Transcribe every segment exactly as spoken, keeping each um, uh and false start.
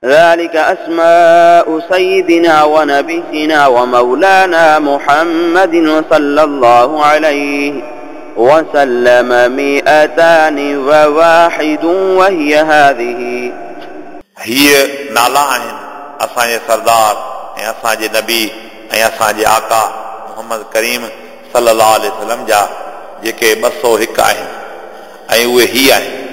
ذلك أسماء سيدنا ونبينا ومولانا محمد صلى الله عليه وسلم مئتان وواحد وهي هذه. هي نالا آهن असांजे सरदार ऐं असांजे नबी ऐं असांजे आका मोहम्मद करीम सल्लल्लाहु अलैहि वसल्लम जा जेके ॿ सौ हिकु आहिनि ऐं उहे ही आहिनि।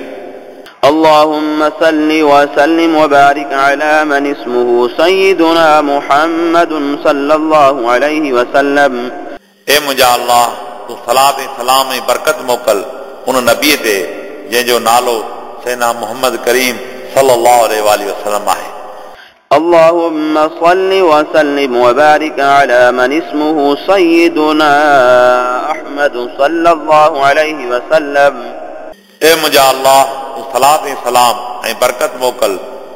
اللهم صل وسلم وبارك على من اسمه سيدنا محمد صلى الله عليه وسلم. ए मुंहिंजा अल्लाह, तूं सलात ऐं सलाम ऐं बरकत मोकल उन नबीअ ते जंहिंजो नालो सैना मोहम्मद करीम सल्लल्लाहु अलैहि वसल्लम आहे। اللهم صل وسلم وبارك على من اسمه سيدنا أحمد صلى الله عليه وسلم. ए मुंहिंजा अल्लाह, तूं सलात ऐं सलाम ऐं बरकत मोकल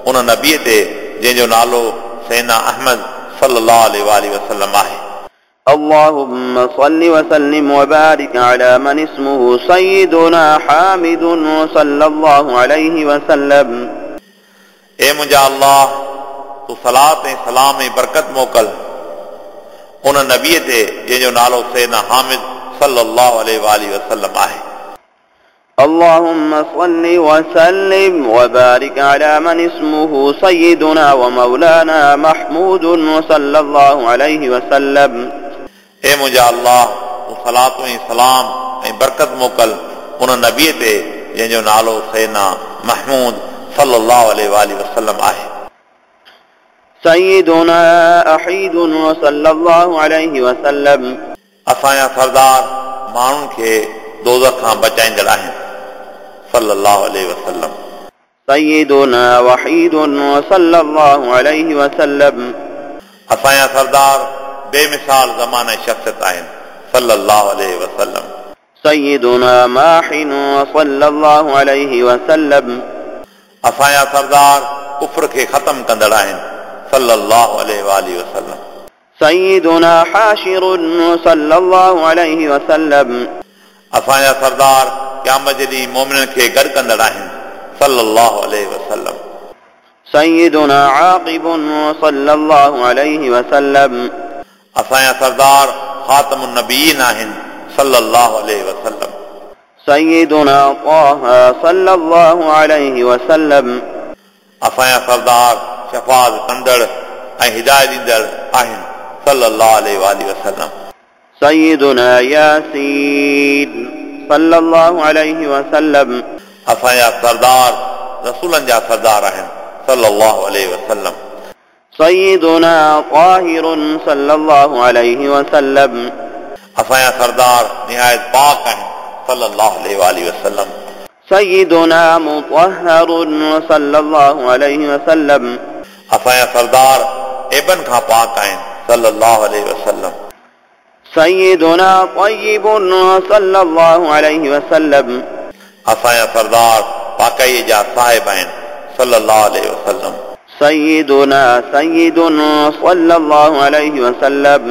उन नबीअ ते जंहिंजो नालो सैना अहमद सल्लल्लाहु अलैहि वसल्लम आहे। اللهم صل وسلم وبارك على من اسمه سيدنا حامد صلى الله عليه وسلم. ए मुंहिंजा अल्लाह, तूं सलात ऐं सलाम ऐं बरकत मोकल उन नबीअ ते जंहिंजो नालो सैना हामिद सल्लल्लाहु अलैहि वसल्लम आहे। اللهم صل وسلم وبارك على من اسمه سيدنا ومولانا محمود صلى الله عليه وسلم. ए मुंहिंजा अल्लाह, तूं सलात ऐं सलाम ऐं बरकत मोकल उन नबीअ ते जंहिंजो नालो सैना महमूद सल्लल्लाहु अलैहि वसल्लम आहे। سيدنا أحيد صلى الله عليه وسلم. असांजा सरदार माण्हुनि खे दोज़ख खां बचाईंदड़ आहिनि सल्लल्लाहु अलैहि वसल्लम। سيدنا وحيد صلى الله عليه وسلم. असांजा सरदार बेमिसाल ज़माने शख्सियत आहिनि सल्लल्लाहु अलैहि वसल्लम। سيدنا ماحن صلى الله عليه وسلم. असांजा सरदार कुफ्र खे ख़तम कंदड़ आहिनि सल्लल्लाहु अलैहि वसल्लम। سيدنا حاشر صلى الله عليه وسلم. असांजा सरदार क़यामत जे ॾींहुं मोमिननि खे गॾु कंदड़ आहिनि सल्लल्लाहु अलैहि वसल्लम। سيدنا عاقب صلى الله عليه وسلم. असांजा सरदार ख़ातम नबीन आहिनि सल्लल्लाहु अलैहि वसल्लम। سيدنا طه صلى الله عليه وسلم. असांजा सरदार शफ़ाअत कंदड़ ऐं हिदायत ॾींदड़ आहिनि सल्लल्लाहु अलैहि वसल्लम। سيدنا ياسين صلى الله عليه وسلم. असांजा सरदार रसूलनि जा सरदार आहिनि सल्लल्लाहु अलैहि वसल्लम। سيدنا طاهر صلى الله عليه وسلم. असांजा सरदार निहायत पाक आहिनि सल्लल्लाहु अलैहि वसल्लम। سيدنا مطهر صلى الله عليه وسلم. असांजा सरदार ऐबनि खां पाक आहिनि सल्लल्लाहु अलैहि वसल्लम। سيدنا طيب صلى الله عليه وسلم. असांजा सरदार पाकाईअ जा साहिब आहिनि सल्लल्लाहु अलैहि वसल्लम। سيدنا سيد صلى الله عليه وسلم.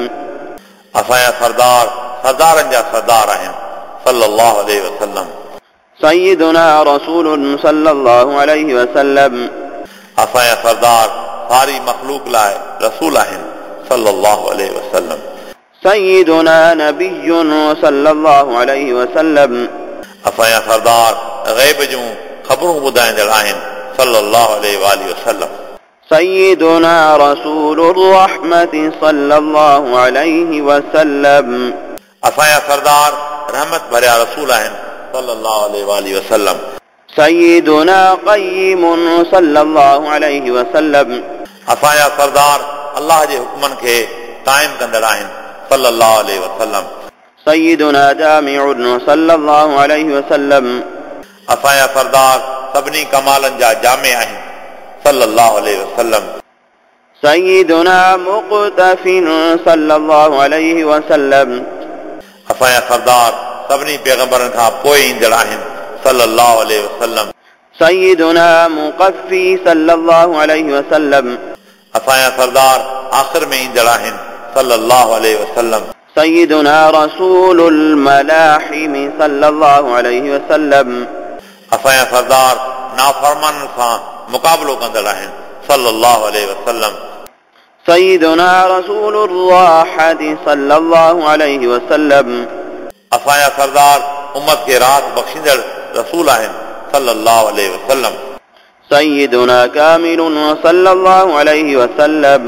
असांजा सरदार सरदारनि जा सरदार आहिनि सल्लल्लाहु अलैहि वसल्लम। سيدنا رسول صلى الله عليه وسلم. असांजा सरदार सारी मख़लूक लाइ रसूल आहिनि सल्लल्लाहु अलैहि वसल्लम। سيدنا نبي صلى الله عليه وسلم. असांजा सरदार ग़ैब जूं ख़बरूं ॿुधाईंदड़ आहिनि सल्लल्लाहु अलैहि वसल्लम। سيدنا رسول الرحمة صلى الله عليه وسلم. असांजा सरदार रहमत भरिया रसूल आहिनि सल्लल्लाहु अलैहि वसल्लम। سيدنا قيم صلى الله عليه وسلم. असांजा सरदार अल्लाह जे हुक्मनि खे क़ाइम कंदड़ आहिनि सल्लल्लाहु अलैहि वसल्लम। سيدنا جامع صلى الله عليه وسلم. असांजा सरदार सभिनी कमालनि जा जामे आहिनि सल्लल्लाहु अलैहि वसल्लम। سيدنا مقتف صلى الله عليه وسلم. असांजा सरदार सभिनी पैगंबरनि खां पोइ ईंदड़ आहिनि सल्लल्लाहु अलैहि वसल्लम। سيدنا مقفي صلى الله عليه وسلم. असांजा सरदार आख़िर में ईंदड़ आहिनि सल्लल्लाहु अलैहि वसल्लम। سيدنا رسول الملاحم صلى الله عليه وسلم. असांजा सरदार नाफरमाननि सां मुक़ाबिलो कंदड़ आहिनि صلى الله عليه وسلم. سيدنا رسول الراحة صلى الله عليه وسلم. असांजा सरदार उम्मत खे राहत बख़्शींदड़ रसूल आहिनि صلى الله عليه وسلم. سيدنا كامل صلى الله عليه وسلم.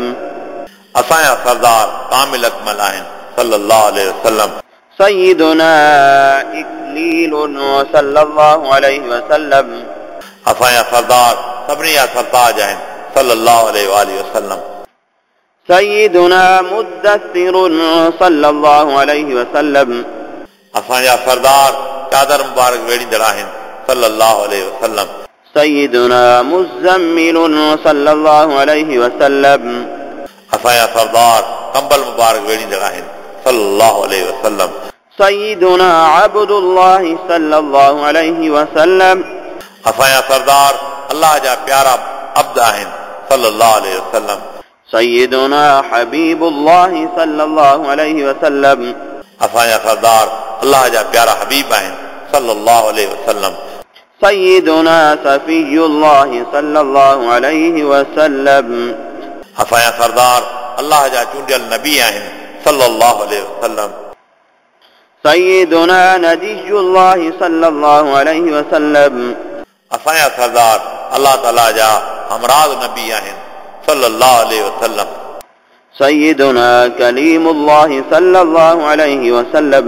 असांजा सरदार कामिल अकमल आहिनि صلى الله عليه وسلم. سيدنا إكليل صلى الله عليه وسلم. असांजा सरदार सभिनी जा सरताज आहिनि صلى الله عليه وآله وسلم. سيدنا مدثر صلى الله عليه وسلم. असांजा सरदार चादर मुबारक वेढ़ींदड़ आहिनि صلى الله عليه وسلم. سيدنا مزمل صلى الله عليه وسلم. असांजा सरदार कंबल मुबारक वेढ़ींदड़ आहिनि صلى الله عليه وسلم. سيدنا عبد الله صلى الله عليه وسلم. असांजा सरदार अल्लाह जा प्यारा अब्द आहिनि صلى الله عليه وسلم. سيدنا حبيب الله صلى الله عليه وسلم. असांजा सरदार अल्लाह जा प्यारा हबीब आहिनि صلى الله عليه وسلم. سيدنا صفي الله صلى الله عليه وسلم. असांजा सरदार अल्लाह जा चूंडियल नबी आहिनि صلى الله عليه وسلم. سيدنا نجي الله صلى الله عليه وسلم. असांजा सरदार अल्लाह ताला जा हमराज़ नबी आहिनि صلى الله عليه وسلم. سيدنا كليم الله صلى الله عليه وسلم.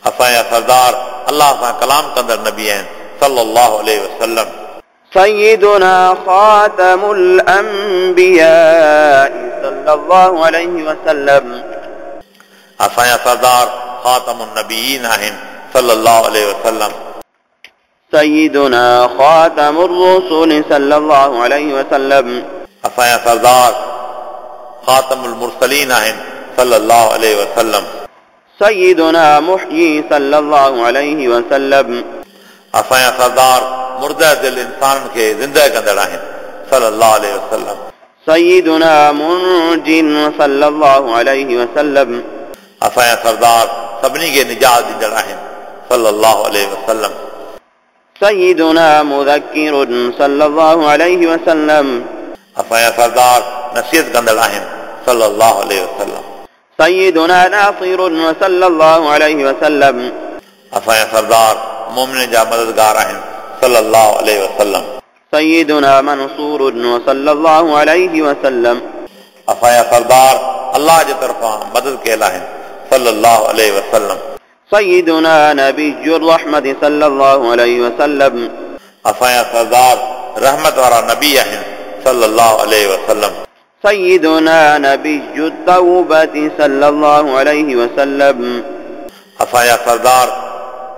असांजा सरदार अल्लाह सां कलाम कंदड़ नबी आहिनि صلى الله عليه وسلم. سيدنا خاتم الأنبياء صلى الله عليه وسلم. असांजा सरदार खातम النبيين आहिनि صلى الله عليه وسلم. سيدنا خاتم الرسل صلى الله عليه وسلم. असांजा सरदार खातम المرسلين आहिनि صلى الله عليه وسلم. سيدنا محيي صلى الله عليه وسلم. असांजा सरदार मुर्दा दिल इंसाननि खे ज़िंदा कंदड़ आहिनि صلى الله عليه وسلم. سيدنا منج صلى الله عليه وسلم. असांजा सरदार सभिनी खे निजात ॾींदड़ आहिनि صلى الله عليه وسلم. سيدنا مذكر صلى الله عليه وسلم. असांजा सरदार नसीहत कंदड़ आहिनि صلى الله عليه وسلم. سيدنا ناصر صلى الله عليه وسلم. असांजा सरदार मोमिन जा मददगार आहिनि صلى الله عليه وسلم. سيدنا منصور صلى الله عليه وسلم. असांजा सरदार अल्लाह जे तरफ़ां मदद कयल आहिनि صلى الله عليه وسلم. سيدنا نبي الرحمة صلى الله عليه وسلم. असांजा सरदार रहमत वारा नबी आहिनि صلى الله عليه وسلم. سيدنا نبي التوبة صلى الله عليه وسلم. असांजा सरदार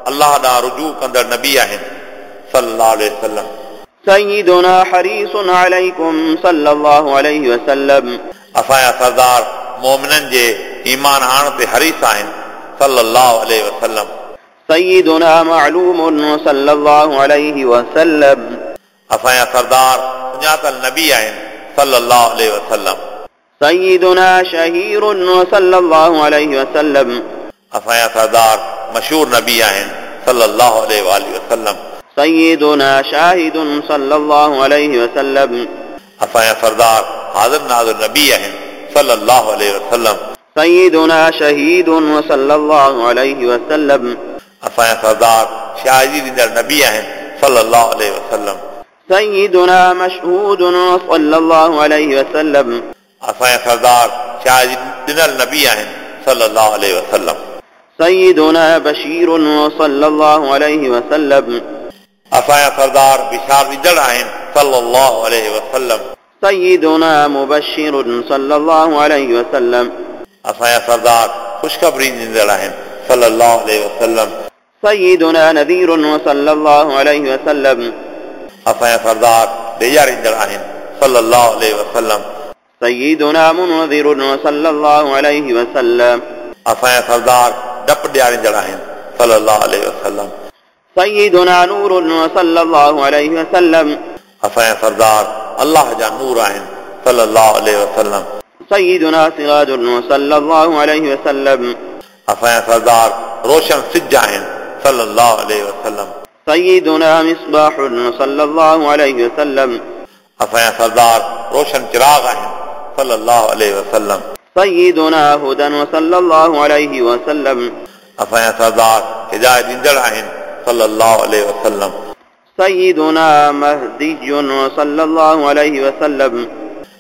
अल्लाह ॾांहुं रुजू कंदड़ नबी आहिनि صلى الله عليه وسلم. سيدنا حريص عليكم صلى الله عليه وسلم. असांजा सरदार मोमिननि जे ईमान आणण ते हरीस आहिनि صلى الله عليه وسلم. سيدنا معلوم صلى الله عليه وسلم. असांजा सरदार सुञातल नबी आहिनि صلى الله عليه وسلم. سيدنا شهير صلى الله عليه وسلم. असांजा सरदार मशहूर नबी आहिनि صلى الله عليه وآله وسلم. سيدنا شاهد صلى الله عليه وسلم. असांजा सरदार हाज़िर नाज़िर नबी आहिनि صلى الله عليه وسلم. سيدنا شهيد صلى الله عليه وسلم. असांजा सरदार शाहिदी ॾींदड़ नबी आहिनि صلى الله عليه وسلم. سيدنا مشهود صلى الله عليه وسلم. असांजा सरदार शाहिदी ॾिनल नबी आहिनि صلى الله عليه وسلم. سيدنا بشير صلى الله عليه وسلم. असांजा सरदार बिशार ॾींदड़ आहिनि صلى الله عليه وسلم. سيدنا مبشر صلى الله عليه وسلم. असांजा सरदार ख़ुशख़बरी ॾींदड़ आहिनि صلى الله عليه وسلم. سيدنا نذير صلى الله عليه وسلم. असांजा सरदार ॾेजारींदड़ आहिनि صلى الله عليه وسلم. سيدنا منذر صلى الله عليه وسلم. असांजा सरदार डप ॾियारींदड़ आहिनि صلى الله عليه وسلم. سيدنا نور صلى الله عليه وسلم. असांजा सरदार अल्लाह जा नूर आहिनि صلى الله عليه وسلم. سيدنا سراج صلى الله عليه وسلم. असांजा सरदार रोशन सिज आहिनि صلى الله عليه وسلم. سيدنا مصباح صلى الله عليه وسلم. असांजा सरदार रोशन चिराग आहिनि صلى الله عليه وسلم। سيدنا هدى وصلى الله عليه وسلم। असांजा सरदार हिदायत ॾींदड़ आहिनि صلى الله عليه وسلم। سيدنا مهدي وصلى الله عليه وسلم।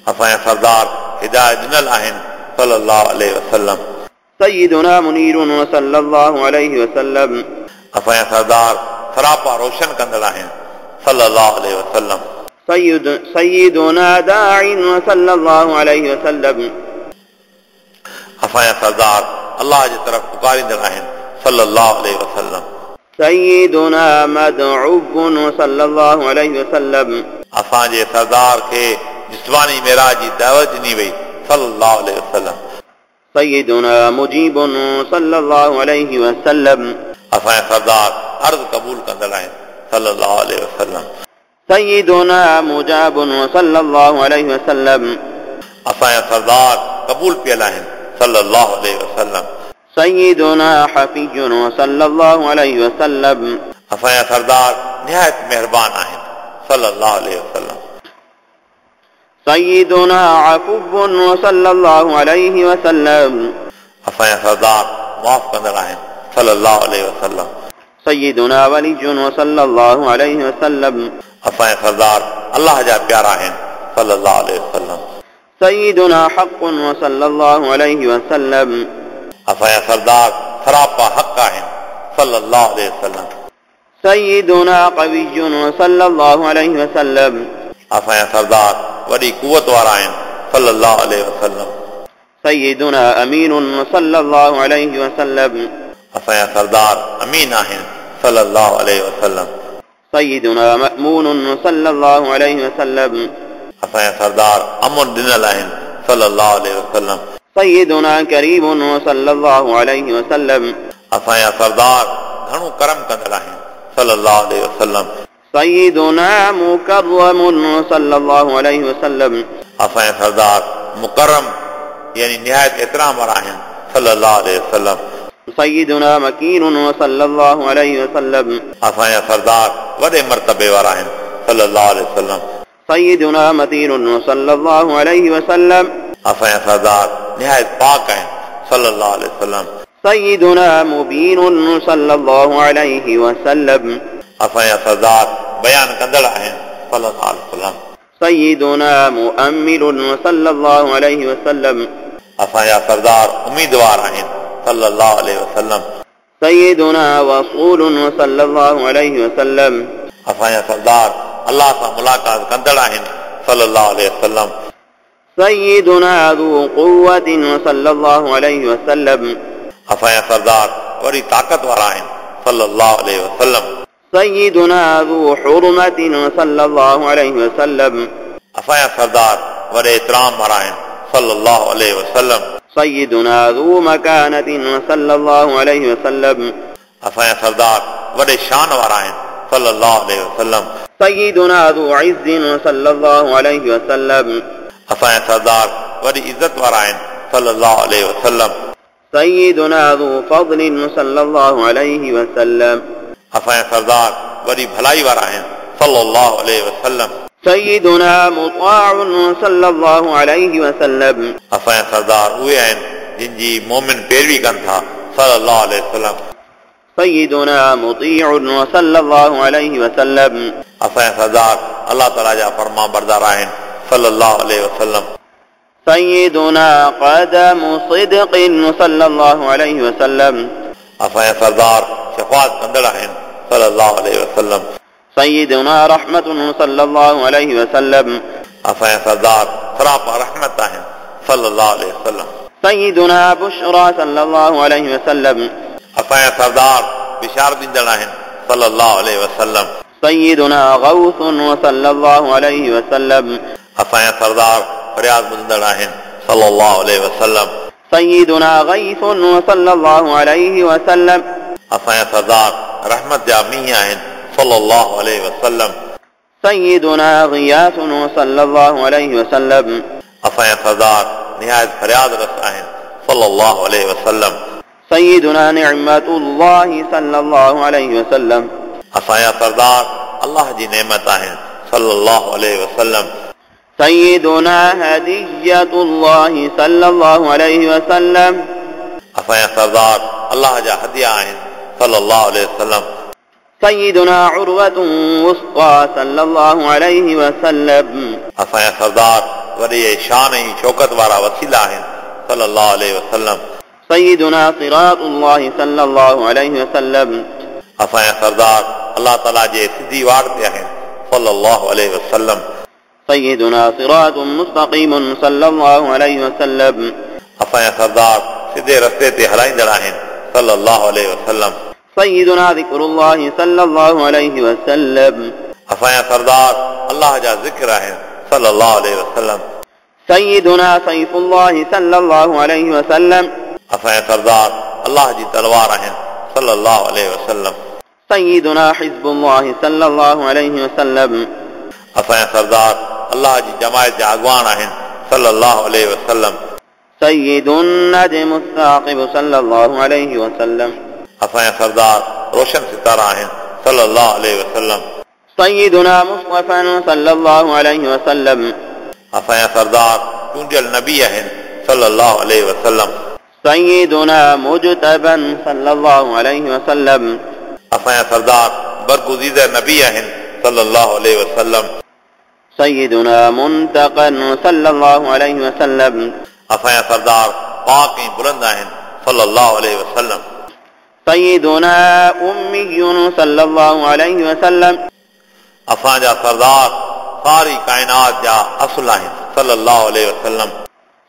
असांजा सरदार हिदायत ॾिनल आहिनि صلى الله عليه وسلم। سيدنا منير وصلى الله عليه وسلم। असांजा सरदार सरापा रोशन कंदड़ आहिनि صلى الله عليه وسلم। سيد سيدنا داع وصلى الله عليه وسلم। असांजा सरदार अल्लाह जे तरफ़ पुकारींदड़ आहिनि صلى الله عليه وسلم। سيدنا مدعو وصلى الله عليه وسلم। असांजे सरदार खे जिस्मानी मेराज जी दावत ॾिनी वई صلى الله عليه وسلم। سيدنا مجيب صلى الله عليه وسلم। असांजा सरदार अर्ज़ क़बूल कंदड़ आहिनि صلى الله عليه وسلم। سيدنا مجاب وصلى الله عليه وسلم। असांजा सरदार क़बूल पियल आहिनि صلى الله عليه وسلم। سيدنا حفي وصلى الله عليه وسلم। असांजा सरदार निहायत महिरबान आहिनि صلى الله عليه وسلم। سيدنا عفو وصلى الله عليه وسلم। असांजा सरदार मुआफ़ कंदड़ आहिनि صلى الله عليه وسلم। سيدنا ولي وصلى الله عليه وسلم। असांजा सरदार अल्लाह जा प्यारा आहिनि صلى الله عليه وسلم। سيدنا حق وصلى الله عليه وسلم। असांजा सरदार सरापा हक़ आहिनि صلى الله عليه وسلم। سيدنا قوي وصلى الله عليه وسلم। असांजा सरदार वॾी कुवत वारा आहिनि صلى الله عليه وسلم। سيدنا أمين وصلى الله عليه وسلم। असांजा सरदार अमीन आहिनि صلى الله عليه وسلم। سيدنا مأمون وصلى الله عليه وسلم। असांजा सरदार अमन ॾिनल आहिनि صلى الله عليه وسلم। سيدنا كريم وصلى الله عليه وسلم। असांजा सरदार घणो करम कंदड़ आहिनि صلى الله عليه وسلم। سيدنا مكرم وصلى الله عليه وسلم। असांजा सरदार मुकर्रम यानी निहायत एहतराम वारा आहिनि صلى الله عليه وسلم। سيدنا مكين وصلى الله عليه وسلم। असांजा सरदार वॾे मर्तबे वारा आहिनि صلى الله عليه وسلم। سيدنا متين وصلى الله عليه وسلم। असांजा सरदार निहायत पाक आहिनि صلى الله عليه وسلم। سيدنا مبين صلى الله عليه وسلم। असांजा सरदार बयान कंदड़ आहिनि صلى الله عليه وسلم। سيدنا مؤمل وصلى الله عليه وسلم। असांजा सरदार उम्मीदवार आहिनि صلى الله عليه وسلم। سيدنا وصول وصلى الله عليه وسلم। असांजा सरदार अल्लाह सां मुलाक़ात कंदड़ आहिनि صلى الله عليه وسلم। سيدنا ذو قوة وصلى الله عليه وسلم। असांजा सरदार वॾी ताक़त वारा आहिनि صلى الله عليه وسلم। سيدنا ذو حرمة وصلى الله عليه وسلم। असांजा सरदार वॾे एहतराम वारा आहिनि صلى الله عليه وسلم। سيدنا ذو مكانة وصلى الله عليه وسلم। असांजा सरदार वॾे शान वारा आहिनि صلى الله عليه وسلم। سيدنا ذو عز وصلى الله عليه وسلم। असांजा सरदार वॾी इज़त वारा आहिनि صلى الله عليه وسلم। سيدنا ذو فضل وصلى الله عليه وسلم। असांजा सरदार वॾी भलाई वारा आहिनि صلى الله عليه وسلم। سيدنا مطاع وصلى الله عليه وسلم। असांजा सरदार उहे आहिनि जिन जी मोमिन पैरवी कनि था صلى الله عليه وسلم। سيدنا مطيع وصلى الله عليه وسلم। असांजा सरदार अल्लाह ताला जा फरमा बरदार आहिनि صلى الله عليه وسلم। سيدنا قدم صدق وصلى الله عليه وسلم। असांजा सरदार शफ़ाअत कंदड़ आहिनि صلى الله عليه وسلم। سيدنا رحمة صلى الله عليه وسلم। असांजा सरदार सरापा रहमत आहिनि صلى الله عليه وسلم। سيدنا بشرى صلى الله عليه وسلم। असांजा सरदार बिशार ॾींदड़ आहिनि صلى الله عليه وسلم। سيدنا غوث وصلى الله عليه وسلم। असांजा सरदार फरियाद ॿुधंदड़ आहिनि صلى الله عليه وسلم। سيدنا غيث وصلى الله عليه وسلم। असांजा सरदार रहमत जा मींहुं आहिनि صلى الله عليه وسلم। سيدنا غياث وصلى الله عليه وسلم। असांजा सरदार निहायत फरियाद रस आहिनि صلى الله عليه وسلم। سيدنا نعمة الله صلى الله عليه وسلم। असांजा सरदार अल्लाह जी नेमत आहिनि صلى الله عليه وسلم। سيدنا هدية الله صلى الله عليه وسلم. असांजा सरदार अल्लाह जा हदिया आहिनि صلى الله عليه وسلم. سيدنا عروة وثقى صلى الله عليه وسلم. असांजा सरदार वॾे शान ऐं शौकत वारा वसीला आहिनि صلى الله عليه وسلم. سيدنا صراط الله صلى الله عليه وسلم. असांजा सरदार अल्लाह ताला जे सिधी वाट ते आहिनि صلى الله عليه وسلم. سيدنا صراط مستقيم صلى الله عليه وسلم. असांजा सरदार सिधे रस्ते ते हलाईंदड़ आहिनि صلى الله عليه وسلم. سيدنا ذكر الله صلى الله عليه وسلم. असांजा सरदार अल्लाह जा ज़िक्र आहिनि صلى الله عليه وسلم. سيدنا سيف الله صلى الله عليه وسلم. असांजा सरदार अल्लाह जी तलवार आहिनि صلى الله عليه وسلم. سيدنا حزب الله صلى الله عليه وسلم. असांजा सरदार अल्लाह जी जमायत जा अॻवान आहिनि صلى الله عليه وسلم. سيد النجم الثاقب صلى الله عليه وسلم. असांजा सरदार रोशन सितारा आहिनि صلى الله عليه وسلم. سيدنا مصطفى صلى الله عليه وسلم. असांजा सरदार चूंडियल नबी आहिनि صلى الله عليه وسلم. سيدنا مجتبى صلى الله عليه وسلم. असांजा सरदार बरगुज़ीदा नबी आहिनि صلى الله عليه وسلم. سيدنا منتقى صلى الله عليه وسلم. असांजा सरदार पाक ऐं बुलंद आहिनि صلى الله عليه وسلم. سيدنا أمي صلى الله عليه وسلم. असांजा सरदार सारी काइनात जा असुल आहिनि صلى الله عليه وسلم.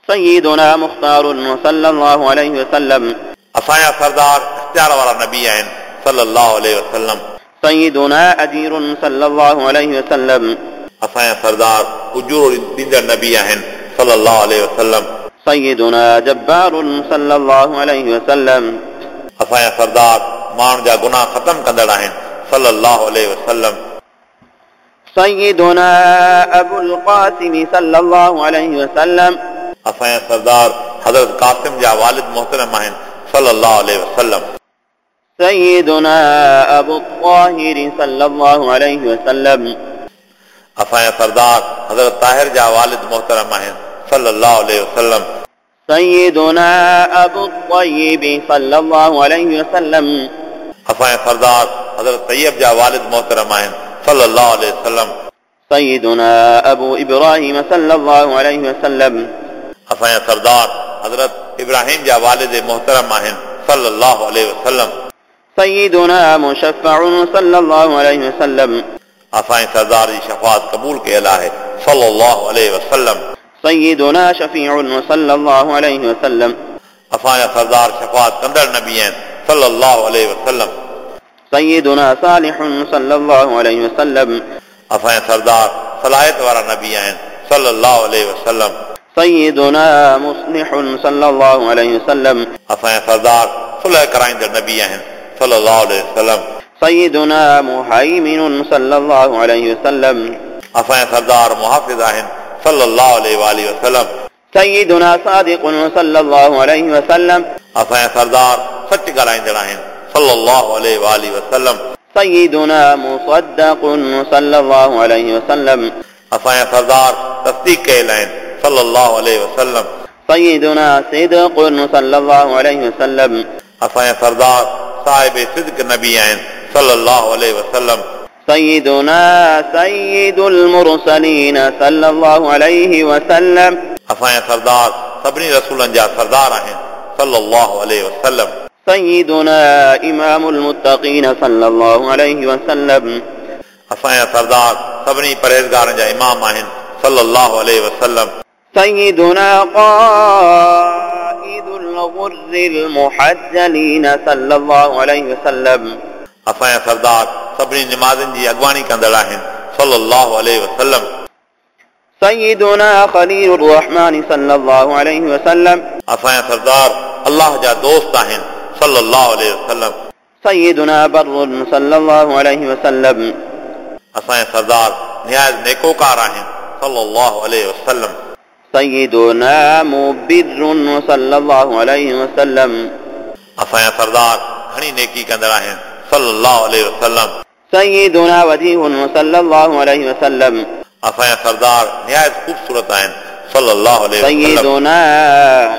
سيدنا مختار صلى الله عليه وسلم. असांजा सरदार इख्तियार वारा नबी आहिनि صلى الله عليه وسلم. سيدنا أجير صلى الله عليه وسلم. असांजा सरदार उजूरो ॾींदड़ नबी आहिनि صلى الله عليه وسلم. سيدنا جبار صلى الله عليه وسلم. असांजा सरदार माण्हुनि जा गुनाह ख़तम कंदड़ आहिनि صلى الله عليه وسلم. سيدنا أبو القاسم صلى الله عليه وسلم. असांजा सरदार हज़रत कासिम जा वालिद मोहतरम आहिनि صلى الله عليه وسلم. سيدنا أبو الطاهر صلى الله عليه وسلم. असांजा सरदार हज़रत ताहिर जा वालिद मोहतरम आहिनि صلى الله عليه وسلم. سيدنا أبو الطيب صلى الله عليه وسلم. असांजा सरदार हज़रत तैयब जा वालिद मोहतरम आहिनि صلى الله عليه وسلم. سيدنا أبو إبراهيم صلى الله عليه وسلم. असांजा सरदार हज़रत इब्राहिम जा वालिद मोहतरम आहिनि صلى الله عليه وسلم. سيدنا مشفع صلى الله عليه وسلم. असांजे सरदार जी शफ़ाअत क़बूल कयल आहे صلى الله عليه وسلم. سيدنا شفيع صلى الله عليه وسلم. असांजा सरदार शफ़ाअत कंदड़ नबी आहिनि صلى الله عليه وسلم. سيدنا صالح صلى الله عليه وسلم. असांजा सरदार सलाहियत वारा नबी आहिनि صلى الله عليه وسلم. سيدنا مصلح صلى الله عليه وسلم. असांजा सरदार सुलह कराईंदड़ नबी आहिनि صلى الله عليه وسلم. سيدنا مهيمن صلى الله عليه وسلم. असांजा सरदार मुहाफ़िज़ आहिनि صلى الله عليه وآله وسلم. سيدنا صادق صلى الله عليه وسلم. असांजा सरदार सच ॻाल्हाईंदड़ आहिनि صلى الله عليه وآله وسلم. سيدنا مصدق صلى الله عليه وسلم. असांजा सरदार तस्दीक कयल आहिनि صلى الله عليه وسلم. سيدنا صدق صلى الله عليه وسلم. असांजा सरदार साहिब सिद्क नबी आहिनि صلى الله عليه وسلم. سيدنا سيد المرسلين صلى الله عليه وسلم. असांजा सरदार सभिनी रसूलनि जा सरदार आहिनि صلى الله عليه وسلم. سيدنا إمام المتقين صلى الله عليه وسلم. असांजा सरदार सभिनी परहेज़गारनि जा इमाम आहिनि صلى الله عليه وسلم. سيدنا قائد الغر المحجلين صلى الله عليه وسلم. असांजा सरदार सभिनी निमाज़नि जी अॻवानी कंदड़ आहिनि صلى الله عليه وسلم. سيدنا خليل الرحمن صلى الله عليه وسلم. असांजा सरदार अल्लाह जा दोस्त आहिनि صلى الله عليه وسلم. سيدنا بر صلى الله عليه وسلم. असांजा सरदार निहायत नेकोकार आहिनि صلى الله عليه وسلم. سيدنا مبر صلى الله عليه وسلم. असांजा सरदार घणी नेकी कंदड़ आहिनि صلى الله عليه وسلم. سيدنا وجيه صلى الله عليه وسلم. असांजा सरदार निहायत ख़ूबसूरत आहिनि صلى الله عليه وسلم. سيدنا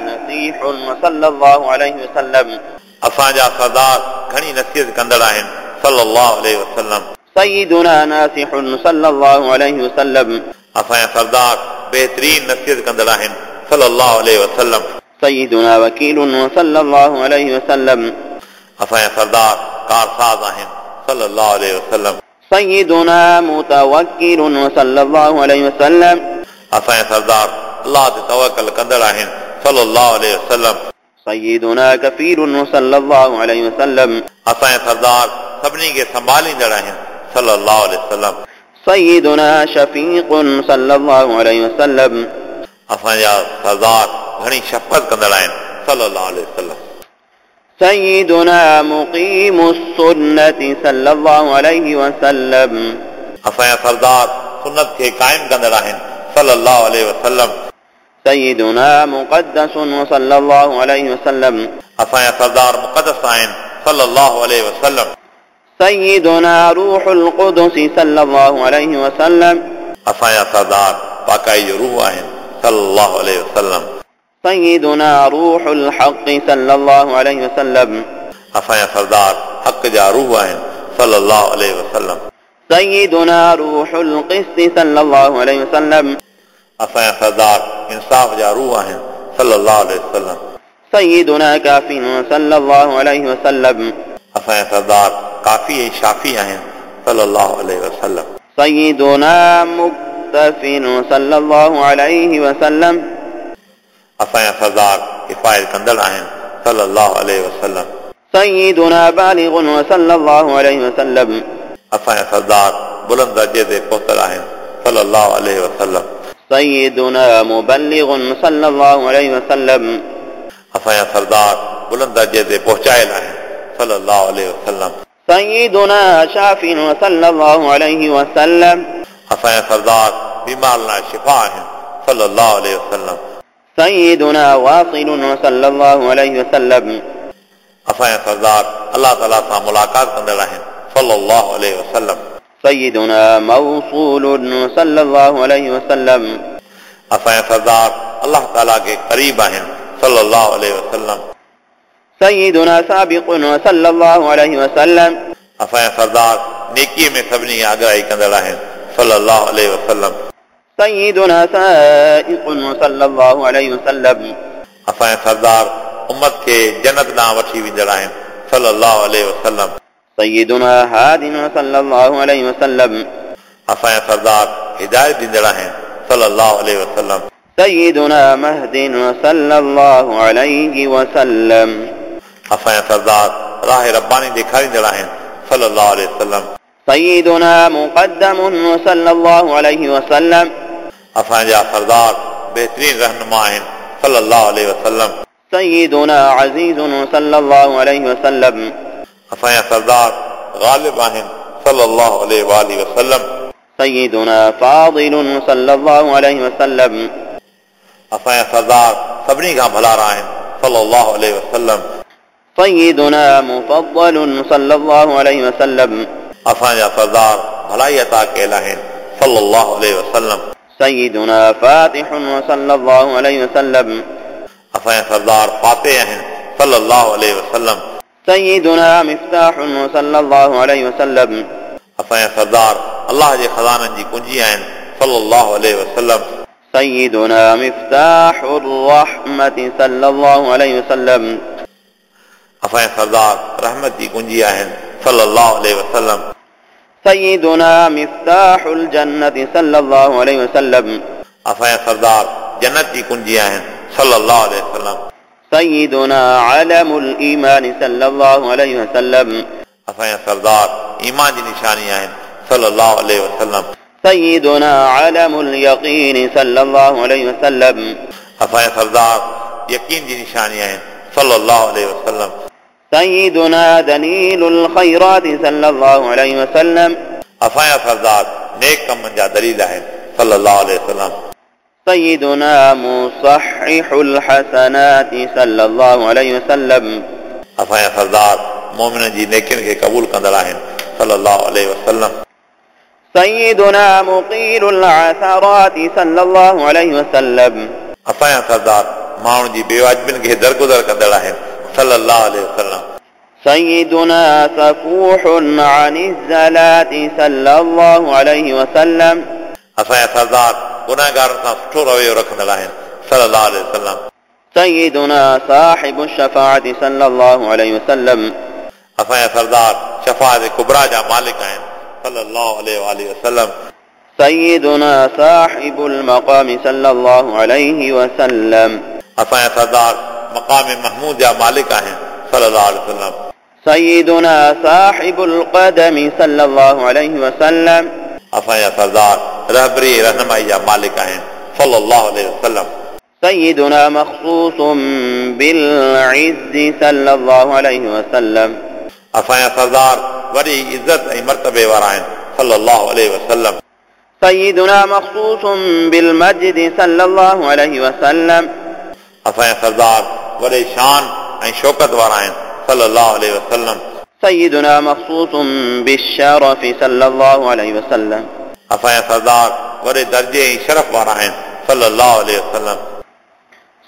نصيح صلى الله عليه وسلم. असांजा सरदार घणी नसीहत कंदड़ आहिनि صلى الله عليه وسلم. سيدنا ناصح صلى الله عليه وسلم. असांजा सरदार बेहतरीन नसीहत कंदड़ आहिनि صلى الله عليه وسلم. سيدنا وكيل صلى الله عليه وسلم. असांजा सरदार कारसाज़ आहिनि صلى الله عليه وسلم. سيدنا متوكل صلى الله عليه وسلم. असांजा सरदार अल्लाह ते तवक्कुल कंदड़ आहिनि صلى الله عليه وسلم. سيدنا كفيل صلى الله عليه وسلم. असांजा सरदार सभिनी खे संभालींदड़ आहिनि صلى الله عليه وسلم. سيدنا شفيق صلى الله عليه وسلم. असांजा सरदार घणी शफ़क़त कंदड़ आहिनि صلى الله عليه وسلم. سيدنا مقيم السنة صلى الله عليه وسلم. असांजा सरदार सुन्नत खे क़ाइम कंदड़ आहिनि صلى الله عليه وسلم. سيدنا مقدس صلى الله عليه وسلم. असांजा सरदार मुक़दस आहिनि صلى الله عليه وسلم. سيدنا روح القدس صلى الله عليه وسلم. असांजा सरदार पाकाई जो रूह आहिनि صلى الله عليه وسلم. سيدنا روح الحق صلى الله عليه وسلم. असांजा सरदार हक़ जा रूह आहिनि صلى الله عليه وسلم. سيدنا روح القسط صلى الله عليه وسلم. असांजा सरदार इंसाफ़ जा रूह आहिनि صلى الله عليه وسلم. سيدنا كاف صلى الله عليه وسلم. असांजा सरदार काफ़ी ऐं शाफ़ी आहिनि صلى الله عليه وسلم. سيدنا مكتف صلى الله عليه وسلم. असांजा सरदार हिफाज़त कंदड़ आहिनि صلى الله عليه وسلم. سيدنا بالغ صلى الله عليه وسلم. असांजा सरदार बुलंद दर्जे ते पहुतल आहिनि صلى الله عليه وسلم. سيدنا مبلغ صلى الله عليه وسلم. असांजा सरदार बुलंद दर्जे ते पहुचायल आहिनि صلى الله عليه وسلم. سيدنا شاف صلى الله عليه وسلم. असांजा सरदार बीमार लाइ शिफ़ा आहिनि صلى الله عليه وسلم. سيدنا واصل صلى الله عليه وسلم. असांजा सरदार अल्लाह ताला सां मुलाक़ात कंदड़ आहिनि صلى الله عليه وسلم. سيدنا موصول صلى الله عليه وسلم. असांजा सरदार अल्लाह ताला खे क़रीब आहिनि صلى الله عليه وسلم. سيدنا سابق صلى الله عليه وسلم. असांजा सरदार नेकीअ में सभिनी खे आगराई कंदड़ आहिनि صلى الله عليه وسلم. سيدنا سائق صلى الله عليه وسلم. असांजा सरदार उम्मत खे जन्नत ॾांहुं वठी वेंदड़ आहिनि صلى الله عليه وسلم. سيدنا هاد صلى الله عليه وسلم. असांजा सरदार हिदायत ॾींदड़ आहिनि صلى الله عليه وسلم. سيدنا مهد صلى الله عليه وسلم. असांजा सरदार राह रब्बानी ॾेखारींदड़ आहिनि صلى الله عليه وسلم. سيدنا مقدم صلى الله عليه وسلم. असांजा सरदार बेहतरीन रहनुमा आहिनि صلى الله عليه وسلم. سيدنا عزيز صلى الله عليه وسلم. असांजा सरदार ग़ालिब आहिनि صلى الله عليه وآله وسلم. سيدنا فاضل صلى الله عليه وسلم. असांजा सरदार सभिनी खां भलारा आहिनि صلى الله عليه وسلم. سيدنا مفضل صلى الله عليه وسلم. असांजा सरदार भलाई अता कयल आहिनि صلى الله عليه وسلم. سيدنا فاتح صلى الله عليه وسلم. असांजा सरदार फातिह आहिनि صلى الله عليه وسلم. سيدنا مفتاح صلى الله عليه وسلم. असांजा सरदार अल्लाह जे ख़ज़ाननि जी कुंजी आहिनि صلى الله عليه وسلم. سيدنا مفتاح الرحمة صلى الله عليه وسلم. असांजा सरदार रहमत जी कुंजी आहिनि صلى الله عليه وسلم. سيدنا مفتاح الجنة صلى الله عليه وسلم. असांजा सरदार जन्नत जी कुंजी आहिनि صلى الله عليه وسلم. سيدنا علم الإيمان صلى الله عليه وسلم. असांजा सरदार ईमान जी निशानी आहिनि صلى الله عليه وسلم. سيدنا علم اليقين صلى الله عليه وسلم. असांजा सरदार यकीन जी निशानी आहिनि صلى الله عليه وسلم. سيدنا دليل الخيرات صلى الله عليه وسلم. असांजा सरदार नेक कमनि जा दलील आहिनि صلى الله عليه وسلم. سيدنا مصحح الحسنات صلى الله عليه وسلم. असांजा सरदार मोमिननि जी नेकियुनि खे क़बूल कंदड़ आहिनि صلى الله عليه وسلم. سيدنا مقيل العثرات صلى الله عليه وسلم. असांजा सरदार माण्हुनि जी बेवाजिबियुनि खे दरगुज़र कंदड़ आहिनि صلى الله عليه وسلم. سيدنا صفوح عن الزلات صلى الله عليه وسلم. असांजा सरदार गुनाहगारनि सां सुठो रवैयो रखंदड़ आहिनि صلى الله عليه وسلم. سيدنا صاحب الشفاعة صلى الله عليه وسلم. असांजा सरदार शफ़ाअत कुबरा जा मालिक आहिनि صلى الله عليه وآله وسلم. سيدنا صاحب المقام صلى الله عليه وسلم. असांजा सरदार मक़ाम महमूद जा मालिक आहिनि صلى الله عليه وسلم. سيدنا صاحب القدم صلى الله عليه وسلم. असांजा सरदार रहबरी रहनुमाई जा मालिक आहिनि صلى الله عليه وسلم. سيدنا مخصوص بالعز صلى الله عليه وسلم. असांजा सरदार वॾी इज़त ऐं मर्तबे वारा आहिनि صلى الله عليه وسلم. سيدنا مخصوص بالمجد صلى الله عليه وسلم. असांजा सरदार वॾे शान ऐं शौकत वारा आहिनि صلى الله عليه وسلم. سيدنا مخصوص بالشرف صلى الله عليه وسلم. असांजा सरदार वॾे दर्जे ऐं शरफ वारा आहिनि صلى الله عليه وسلم.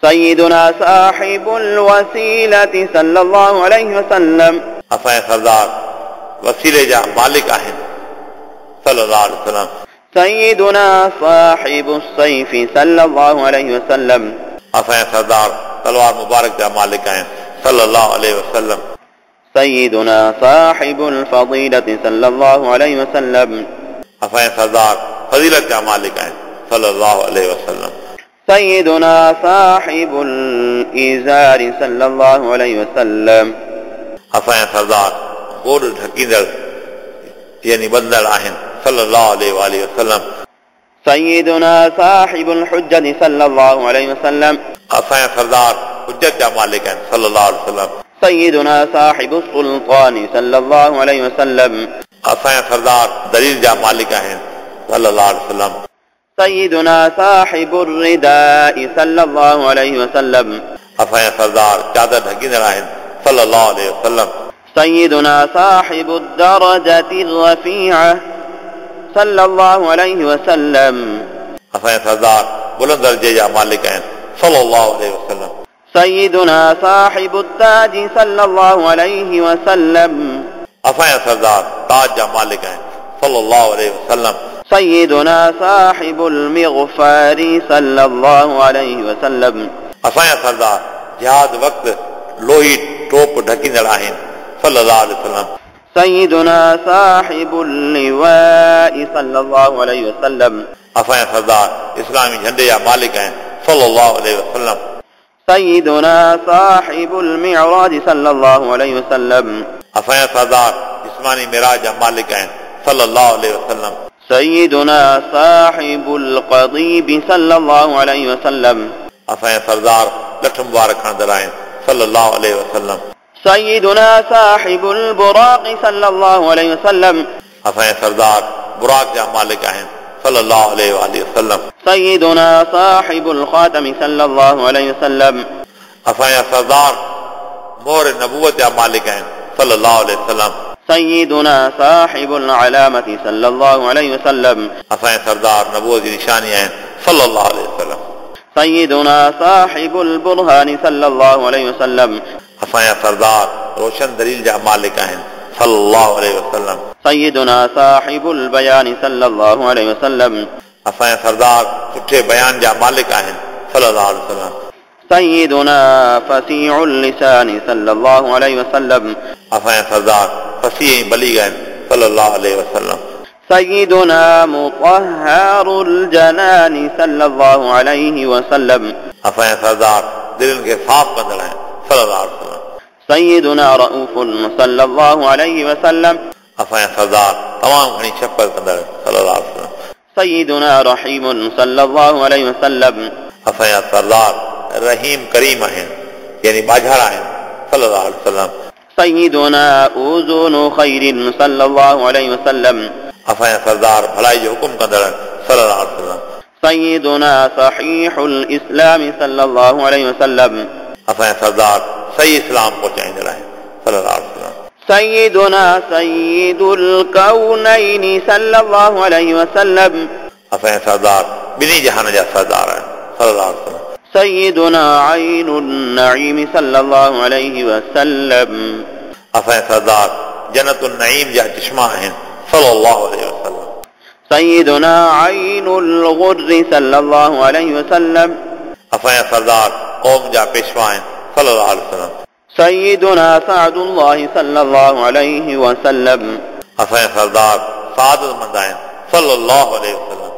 سيدنا صاحب الوسيلة صلى الله عليه وسلم. असांजा सरदार वसीले जा मालिक आहिनि صلى الله عليه وسلم. سيدنا صاحب السيف صلى الله عليه وسلم. असांजा सरदार तलवार मुबारक जा मालिक आहिनि صلى الله عليه وسلم. سيدنا صاحب الفضيلة صلى الله عليه وسلم. असांजा सरदार फज़ीलत जा मालिक आहिनि صلى الله عليه وسلم. سيدنا صاحب الإزار صلى الله عليه وسلم. असांजा सरदार गोॾ ढकींदड़ यानी बंदड़ आहिनि صلى الله عليه وآله وسلم. سيدنا صاحب الحجة صلى الله عليه وسلم. असांजा सरदार हुज्जत जा मालिक आहिनि صلى الله عليه وسلم. سيدنا صاحب السلطان صلى الله عليه وسلم. असांजा सरदार दलील जा मालिक आहिनि صلى الله عليه وسلم. سيدنا صاحب الرداء صلى الله عليه وسلم. असांजा सरदार चादर ढकींदड़ आहिनि صلى الله عليه وسلم. سيدنا صاحب الدرجة الرفيعة صلى الله عليه وسلم. असांजा सरदार बुलंद दर्जे जा मालिक आहिनि صلى الله عليه وسلم. سيدنا صاحب التاج صلى الله عليه وسلم. असांजा सरदार ताज जा मालिक आहिनि صلى الله عليه وسلم. سيدنا صاحب المغفار صلى الله عليه وسلم. असांजा सरदार जिहाद वक़्तु लोही टोप ढकींदड़ आहिनि صلى الله عليه وسلم. سيدنا صاحب اللواء صلى الله عليه وسلم. असांजा सरदार इस्लामी झंडे जा मालिक आहिनि صلى الله عليه وسلم. سيدنا صاحب المعراج صلى الله عليه وسلم. असांजा सरदार जिस्मानी मिराज जा मालिक आहिनि صلى الله عليه وسلم. سيدنا صاحب القضيب صلى الله عليه وسلم. असांजा सरदार लठ मुबारक खणंदड़ आहिनि صلى الله عليه وسلم. سيدنا صاحب البراق صلى الله عليه وسلم. असांजा सरदार बुराक जा मालिक आहिनि صلى الله عليه وآله وسلم. سيدنا صاحب الخاتم صلى الله عليه وسلم. असांजा सरदार मोहर नबूवत जा मालिक आहिनि صلى الله عليه وسلم. سيدنا صاحب العلامة صلى الله عليه وسلم. असांजा सरदार नबूवत जी निशानी आहिनि صلى الله عليه وسلم. سيدنا صاحب البرهان صلى الله عليه وسلم. असांजा सरदार रोशन दलील जा मालिक आहिनि صلى الله عليه وسلم. سيدنا صاحب البيان صلى الله عليه وسلم. असांजा सरदार सुठे बयान जा मालिक आहिनि صلى الله عليه وسلم. سيدنا فصيح اللسان صلى الله عليه وسلم. असांजा सरदार फसीह ऐं बलीग आहिनि صلى الله عليه وسلم. سيدنا مطهر الجنان صلى الله عليه وسلم. असांजा सरदार दिलनि खे साफ़ कंदड़ आहिनि صلى الله عليه وسلم. سيدنا رؤوف صلى الله عليه وسلم. असांजा सरदार तमामु घणी शफ़क़त कंदड़ صلى الله عليه وسلم. سيدنا رحيم صلى الله عليه وسلم. असांजा सरदार रहीम करीम आहिनि यानी बाझारा आहिनि صلى الله عليه وسلم. سيدنا أذن خير صلى الله عليه وسلم. असांजा सरदार भलाई जो हुकुम कंदड़ صلى الله عليه وسلم. سيدنا صحيح الإسلام صلى الله عليه وسلم. असांजा सरदार सही इस्लाम पहुचाईंदड़ आहिनि صلى الله عليه وسلم. سيدنا سيد الكونين صلى الله عليه وسلم. असांजा सरदार ॿिन्ही जहान जा सरदार आहिनि सल्लल्लाहु अलैहि वसल्लम। سيدنا عين النعيم صلى الله عليه وسلم. असांजा सरदार जन्नतुल नईम जा चश्मा आहिनि सल्लल्लाहु अलैहि वसल्लम। سيدنا عين الغر صلى الله عليه وسلم. असांजा सरदार क़ौम जा पेशवा आहिनि सल्लल्लाहु अलैहि वसल्लम। سيدنا سعد الله صلى الله عليه وسلم. असांजा सरदार सादतमंद आहिनि सल्लल्लाहु अलैहि वसल्लम।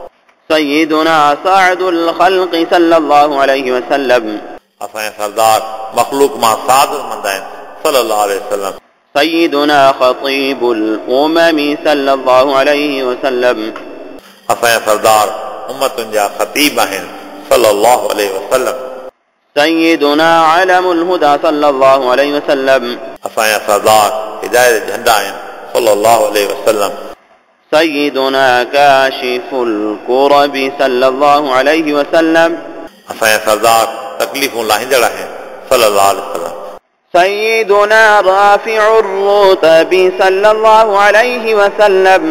سيدنا سعد الخلق صلى الله عليه وسلم. असांजा सरदार मख़लूक मां सादतमंद आहिनि सल्लल्लाहु अलैहि वसल्लम। سيدنا خطيب الأمم صلى الله عليه وسلم. असांजा सरदार उम्मतुनि जा ख़तीब आहिनि सल्लल्लाहु अलैहि वसल्लम। سيدنا علم الهدى صلى الله عليه وسلم. असांजा सरदार हिदायत झंडा आहिनि सल्लल्लाहु अलैहि वसल्लम। سيدنا كاشف الكرب صلى الله عليه وسلم. असांजा सरदार तकलीफ़ूं लाहींदड़ आहिनि सल्लल्लाहु अलैहि वसल्लम। سيدنا رافع الرتب صلى الله عليه وسلم.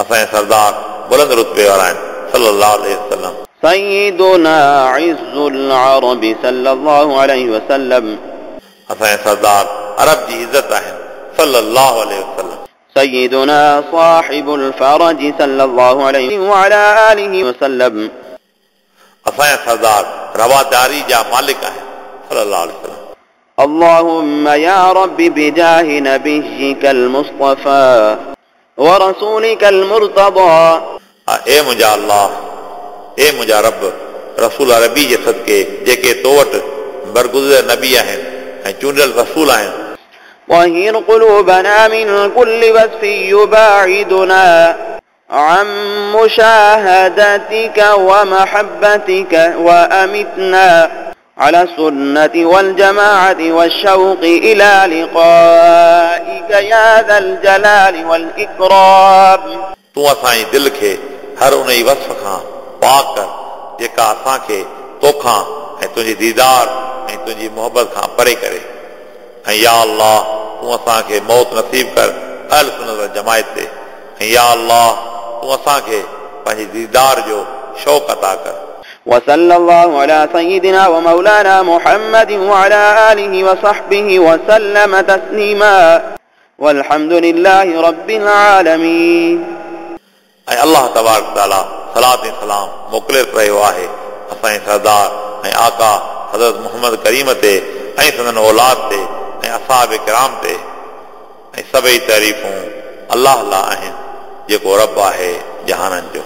असांजा सरदार बुलंद रुतबे वारा आहिनि सल्लल्लाहु अलैहि वसल्लम। سيدنا عز العرب صلى الله عليه وسلم. असांजा सरदार अरब जी इज़त आहिनि सल्लल्लाहु अलैहि वसल्लम। سيدنا صاحب الفرج صلى الله عليه وعلى آله وسلم. असांजा सरदार रवादारी जा मालिक आहिनि सल्लल्लाहु अलैहि वसल्लम। اللهم يا رب بجاه نبيك المصطفى ورسولك المرتضى. ए मुंहिंजा अल्लाह, ए मुंहिंजा रब, रसूल अरबी जे सदके जेके तो वटि बरगुज़िर नबी आहिनि ऐं चूंडियल रसूल आहिनि। طهر قلوبنا من كل وصف يباعدنا عن مشاهدتك ومحبتك وأمتنا على السنة والجماعة والشوق إلى لقائك يا ذا الجلال والإكرام. तूं असांजी दिलि खे हर उन ई वस्फ़ खां पाक कर जेका असांखे तोखां ऐं तुंहिंजे दीदार ऐं तुंहिंजी मोहबत खां परे करे। ऐं या अल्लाह तूं असांखे मौत नसीब कर अहल सुन्नत वल जमायत ते। ऐं या अल्लाह तूं असांखे पंहिंजे दीदार जो शौक़ अता कर। وصلى الله على سيدنا ومولانا محمد وعلى آله وصحبه وسلم تسليما والحمد لله رب العالمين. ऐं अल्लाह तबारक ताला सलात ऐं सलाम मोकिले रहियो आहे असांजे सरदार ऐं आका हज़रत मोहम्मद करीम ते ऐं संदन औलाद ते ऐं असाब किराम ते। ऐं सभई तारीफ़ूं अल्लाह लाइ आहिनि जेको रब आहे जहाननि जो।